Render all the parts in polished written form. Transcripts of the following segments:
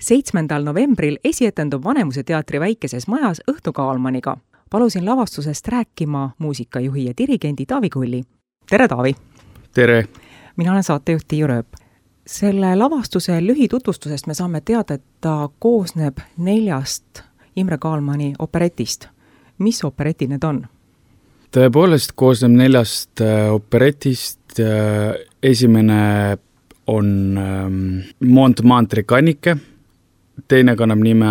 7. novembril esietendub Vanemuise teatri väikeses majas Õhtu Kaalmaniga. Palusin lavastusest rääkima muusikajuhi ja dirigendi Taavi Kulli. Tere, Taavi! Tere! Mina olen saatejuht Tiiu Rööp. Selle lavastuse lühitutvustusest me saame teada, et ta koosneb 4 Imre Kaalmani operetist. Mis operetid need on? Tõepoolest koosneb 4 operetist. Esimene on Montmartre kannike, teine kannab nime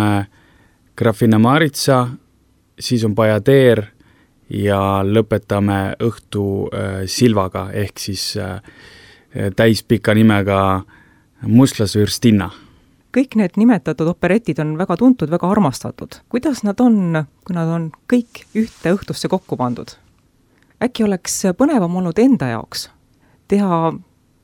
Grafina Maritsa, siis on Bajadeer ja lõpetame õhtu Silvaga ehk siis täispika nimega Muslasvürstinna. Kõik need nimetatud operetid on väga tuntud, väga armastatud. Kuidas nad on, kui nad on kõik ühte õhtusse kokku pandud? Äkki oleks põnevam olnud enda jaoks teha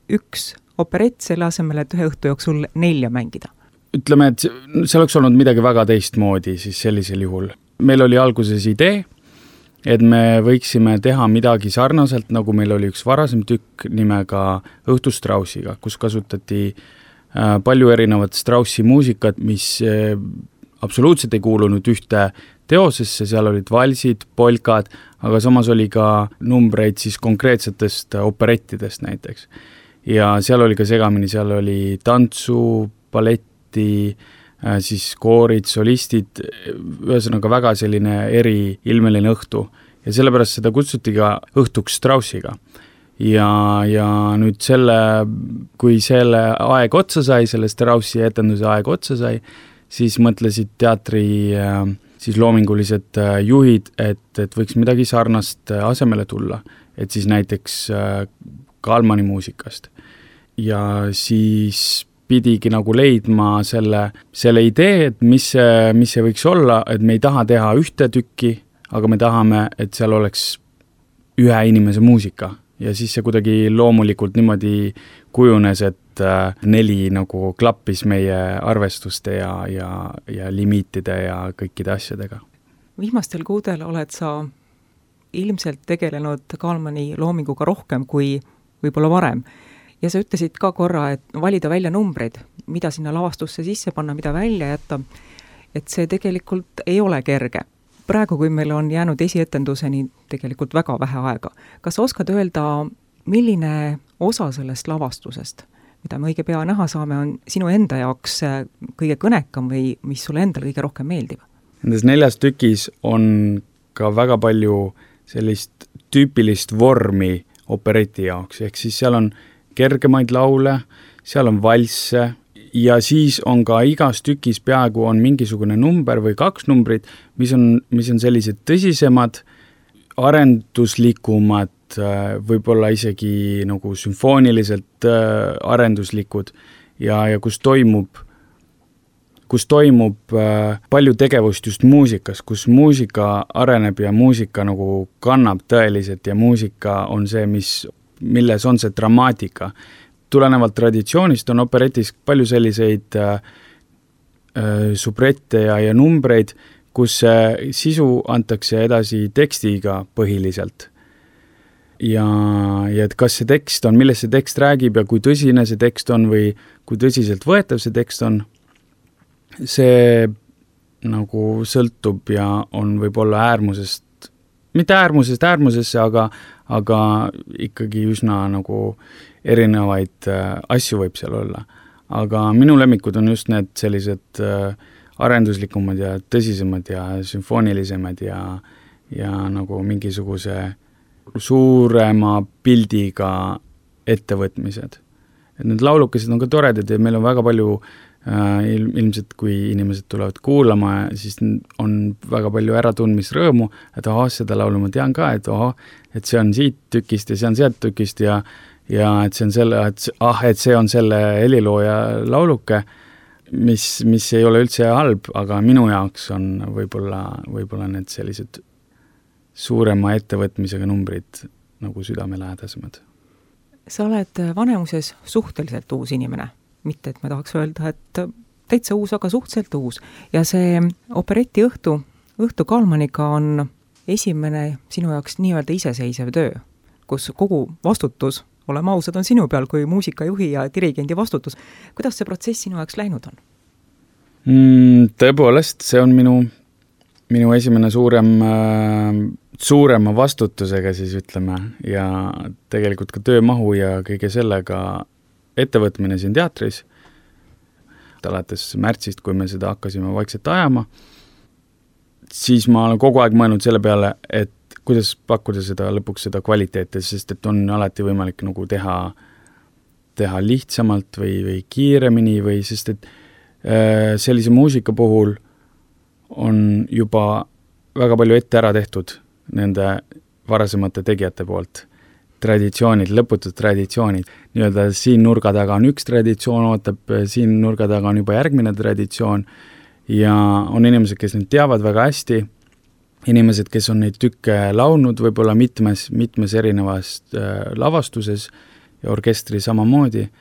1 operett selle asemel, et 1 õhtu jooksul 4 mängida? Ütleme, et see oleks olnud midagi väga teistmoodi siis sellisel juhul. Meil oli alguses idee, et me võiksime teha midagi sarnaselt, nagu meil oli üks varasem tükk nimega Õhtu Straussiga, kus kasutati palju erinevat Straussi muusikat, mis absoluutselt ei kuulunud ühte teosesse, seal olid valsid, polkad, aga samas oli ka numbreid siis konkreetsetest operettidest näiteks. Ja seal oli ka segamini, seal oli tantsu, balletti, siis koorid, solistid, ühesõnaga väga selline eriilmeline õhtu. Ja sellepärast seda kutsuti ka Õhtuks Straussiga. Ja nüüd kui selle aeg otsa sai, selle Straussi etenduse aeg otsa sai, siis mõtlesid teatri siis loomingulised juhid, et võiks midagi sarnast asemele tulla, et siis näiteks Kaalmani muusikast. Ja siis pidigi nagu leidma selle idee, et mis see võiks olla, et me ei taha teha 1 tükki, aga me tahame, et seal oleks 1 inimese muusika. Ja siis see kuidagi loomulikult niimoodi kujunes, et 4 nagu klappis meie arvestuste ja limiitide ja kõikide asjadega. Viimastel kuudel oled sa ilmselt tegelenud Kaalmani loominguga rohkem kui võib-olla varem. Ja sa ütlesid ka korra, et valida välja numbreid, mida sinna lavastusse sisse panna, mida välja jätta, et see tegelikult ei ole kerge. Praegu, kui meil on jäänud esietenduseni tegelikult väga vähe aega. Kas sa oskad öelda, milline osa sellest lavastusest, mida me õige pea näha saame, on sinu enda jaoks kõige kõnekam või mis sulle endale kõige rohkem meeldib? Nendes 4 tükis on ka väga palju sellist tüüpilist vormi opereti jaoks, ehk siis seal on kergemaid laule, seal on valsse ja siis on ka igas tükis peaaegu on mingisugune number või 2 numbrit, mis on sellised tõsisemad, arenduslikumad, võib-olla isegi nagu sümfooniliselt arenduslikud ja kus toimub palju tegevust just muusikas, kus muusika areneb ja muusika nagu kannab tõeliselt ja muusika on see, milles on see dramaatika. Tulenevalt traditsioonist on operetis palju selliseid subrette ja numbreid, kus sisu antakse edasi tekstiga põhiliselt. Ja et kas see tekst on, milles see tekst räägib ja kui tõsine see tekst on või kui tõsiselt võetav see tekst on, see nagu sõltub ja on võib-olla mitte äärmusesse, aga ikkagi üsna nagu erinevaid asju võib seal olla. Aga minu lemmikud on just need sellised arenduslikumad ja tõsisemad ja sümfoonilisemad ja nagu mingisuguse suurema pildiga ettevõtmised. Et need laulukesed on ka toredad ja meil on väga palju ilmselt kui inimesed tulevad kuulama, siis on väga palju äratundmisrõõmu, et seda laulu ma tean ka, et see on siit tükist ja see on sealt tükist ja et see on selle helilooja lauluke, mis ei ole üldse halb, aga minu jaoks on võib-olla need sellised suurema ettevõtmisega numbrid nagu südamelähedasemad. Sa oled Vanemuises suhteliselt uus inimene. Mitte, et me tahaks öelda, et täitsa uus, aga suhteliselt uus. Ja see opereti Õhtu Kaalmaniga on esimene sinu jaoks nii-öelda iseseisev töö, kus kogu vastutus, oleme ausad, on sinu peal kui muusikajuhi ja dirigendi vastutus. Kuidas see protsess sinu jaoks läinud on? Tõepoolest, see on minu esimene suurema vastutusega siis ütleme ja tegelikult ka töömahu ja kõige sellega ettevõtmine siin teatris. Alates märtsist, kui me seda hakkasime vaikselt ajama, siis ma olen kogu aeg mõelnud selle peale, et kuidas pakkuda lõpuks seda kvaliteeti, sest et on alati võimalik nagu teha lihtsamalt või kiiremini või sest et sellise muusika puhul on juba väga palju ette ära tehtud nende varasemate tegijate poolt. Traditsioonid, lõputud traditsioonid. Nii-öelda siin nurga taga on üks traditsioon, ootab siin nurga taga on juba järgmine traditsioon ja on inimesed, kes neid teavad väga hästi, inimesed, kes on neid tükke laulnud võib-olla mitmes erinevas lavastuses ja orkestri samamoodi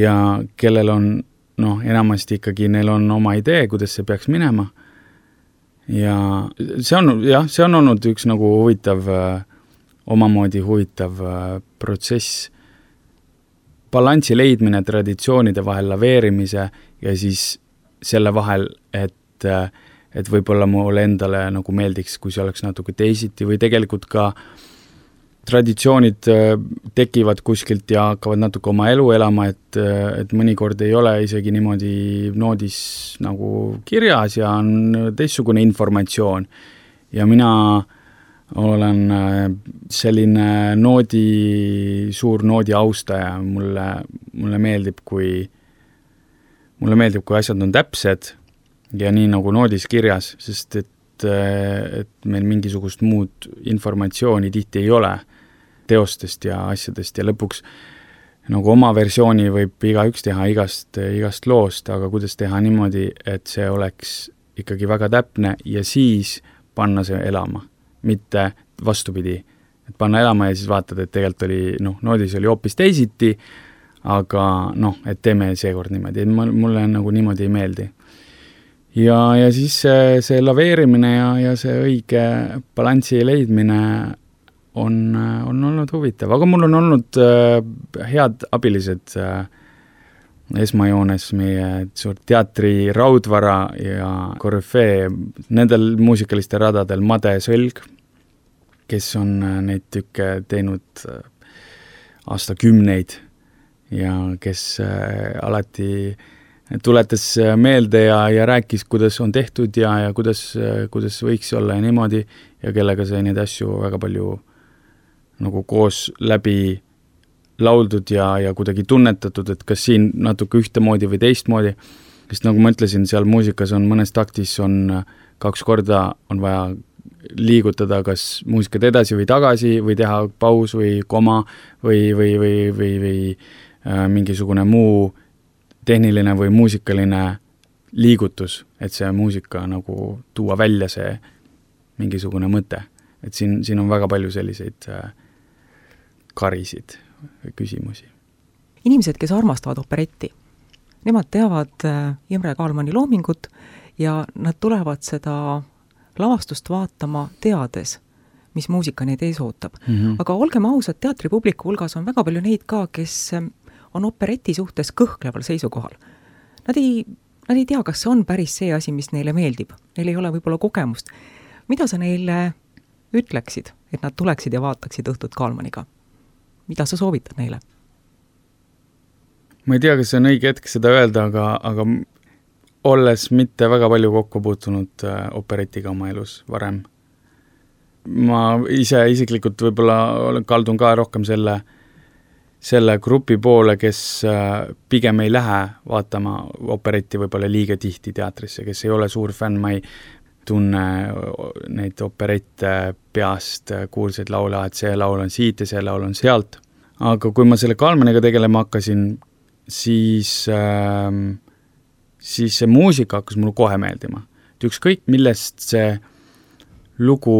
ja kellel on enamasti ikkagi neil on oma idee, kuidas see peaks minema. Ja see on olnud üks nagu omamoodi huvitav protsess. Balansi leidmine traditsioonide vahel laveerimise ja siis selle vahel, et võib-olla mulle endale nagu meeldiks, kui see oleks natuke teisiti või tegelikult ka traditsioonid tekivad kuskilt ja hakkavad natuke oma elu elama, et mõnikord ei ole isegi niimoodi noodis nagu kirjas ja on teistsugune informatsioon. Ja mina olen selline suur noodi austaja. Mulle meeldib, kui asjad on täpsed ja nii nagu noodis kirjas, sest et meil mingisugust muud informatsiooni tihti ei ole teostest ja asjadest ja lõpuks nagu oma versiooni võib igaüks teha igast loost, aga kuidas teha niimoodi, et see oleks ikkagi väga täpne ja siis panna see elama, mitte vastupidi, et panna elama ja siis vaatad, et tegelikult oli, noodis oli hoopis teisiti, aga et teeme seekord niimoodi, et mulle nagu niimoodi ei meeldi. Ja siis see laveerimine ja see õige balansi leidmine on olnud huvitav, aga mul on olnud head abilised esmajoones meie suurt teatri raudvara ja korüfee nendel muusikaliste radadel Made Sõlg, kes on neid tükke teinud aastakümneid ja kes alati tuletas meelde ja rääkis, kuidas on tehtud ja kuidas võiks olla ja niimoodi ja kellega sai neid asju väga palju nagu koos läbi lauldud ja kuidagi tunnetatud, et kas siin natuke ühtemoodi või teistmoodi, sest nagu ma ütlesin, seal muusikas on mõnes taktis on 2 korda on vaja liigutada kas muusikat edasi või tagasi või teha paus või koma või mingisugune muu tehniline või muusikaline liigutus, et see muusika nagu tuua välja see mingisugune mõte. Et siin on väga palju selliseid karisid või küsimusi. Inimesed, kes armastavad operetti, nemad teavad Imre Kaalmani loomingut ja nad tulevad seda lavastust vaatama teades, mis muusika neid ees ootab. Aga olgem ausad, teatripubliku hulgas on väga palju neid ka, kes on opereti suhtes kõhkleval seisukohal. Nad ei tea, kas see on päris see asi, mis neile meeldib. Neil ei ole võib-olla kogemust. Mida sa neile ütleksid, et nad tuleksid ja vaataksid Õhtut Kaalmaniga? Mida sa soovitad neile? Ma ei tea, kas see on õige hetk seda öelda, aga olles mitte väga palju kokku puutunud operetiga oma elus varem. Ma isiklikult võib-olla kaldun ka rohkem selle grupi poole, kes pigem ei lähe vaatama operetti võib-olla liiga tihti teatrisse, kes ei ole suur fänn, ma ei tunne neid operette peast, kuulsaid laule, et see laul on siit ja see laul on sealt. Aga kui ma selle Kaalmaniga tegelema hakkasin, siis see muusika hakkas mulle kohe meeldima. Et ükskõik, millest see lugu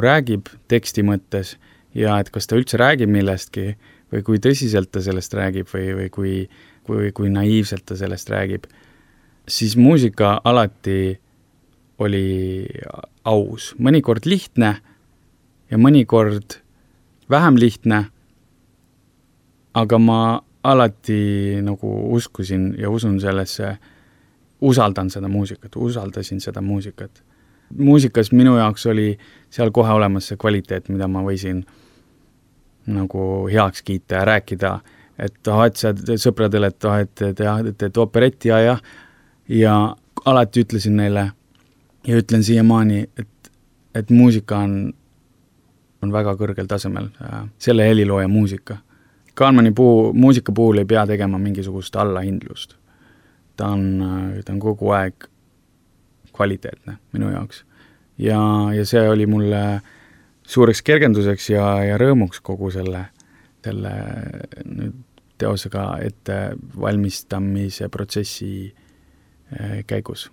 räägib teksti mõttes ja et kas ta üldse räägib millestki või kui tõsiselt ta sellest räägib või kui naiivselt ta sellest räägib, siis muusika alati oli aus, mõnikord lihtne ja mõnikord vähem lihtne, aga ma alati nagu uskusin ja usun sellesse usaldasin seda muusikat. Muusikas minu jaoks oli seal kohe olemas see kvaliteet, mida ma võisin nagu heaks kiita ja rääkida, et sa sõpradele, et teed operetti ja alati ütlesin neile ja ütlen siiamaani, et muusika on väga kõrgel tasemel, selle helilooja muusika. Kalmani muusika puhul ei pea tegema mingisugust allahindlust. Ta on kogu aeg kvaliteetne minu jaoks. Ja see oli mulle suureks kergenduseks ja rõõmuks kogu selle teosega ette valmistamise protsessi käigus.